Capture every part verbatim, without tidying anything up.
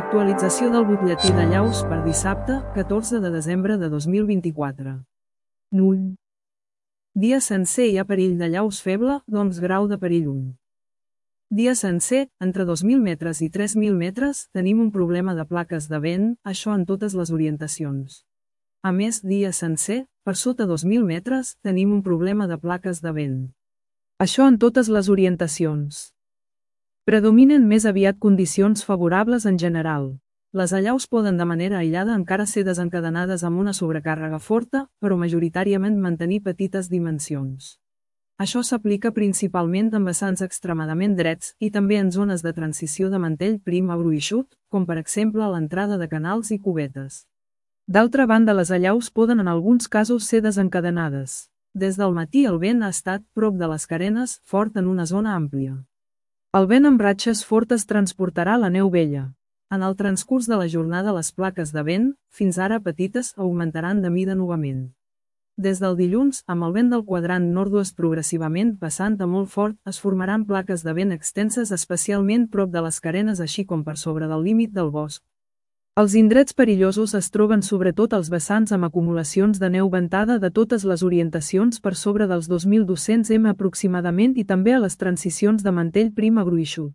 Actualització del butlletí de llaus per dissabte, catorze de desembre de dos mil vint-i-quatre. Null. Dia sencer hi ha perill de llaus feble, doncs grau de perill un. Dia sencer, entre dos mil metres i tres mil metres, tenim un problema de plaques de vent, això en totes les orientacions. A més, dia sencer, per sota dos mil metres, tenim un problema de plaques de vent. Això en totes les orientacions. Predominen més aviat condicions favorables en general. Les allaus poden de manera aïllada encara ser desencadenades amb una sobrecàrrega forta, però majoritàriament mantenir petites dimensions. Això s'aplica principalment en vessants extremadament drets i també en zones de transició de mantell prim a gruixut, com per exemple a l'entrada de canals i cubetes. D'altra banda, les allaus poden en alguns casos ser desencadenades. Des del matí el vent ha estat, prop de les carenes, fort en una zona àmplia. El vent amb ratxes fortes transportarà la neu vella. En el transcurs de la jornada les plaques de vent, fins ara petites, augmentaran de mida novament. Des del dilluns, amb el vent del quadrant nord-oest progressivament passant a molt fort, es formaran plaques de vent extenses especialment prop de les carenes així com per sobre del límit del bosc. Els indrets perillosos es troben sobretot als vessants amb acumulacions de neu ventada de totes les orientacions per sobre dels dos mil dos-cents metres aproximadament i també a les transicions de mantell prim a gruixut.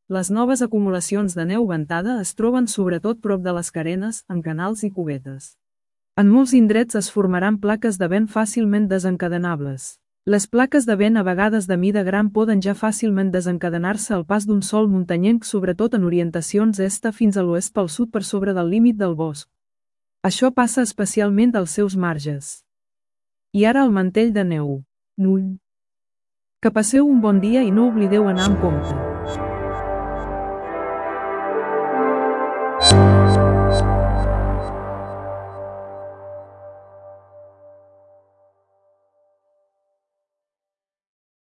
Les noves acumulacions de neu ventada es troben sobretot prop de les carenes, en canals i cubetes. En molts indrets es formaran plaques de vent fàcilment desencadenables. Les plaques de vent a vegades de mida gran poden ja fàcilment desencadenar-se al pas d'un sol muntanyenc sobretot en orientacions est fins a l'oest pel sud per sobre del límit del bosc. Això passa especialment als seus marges. I ara el mantell de neu. Null. Que passeu un bon dia i no oblideu anar amb compte.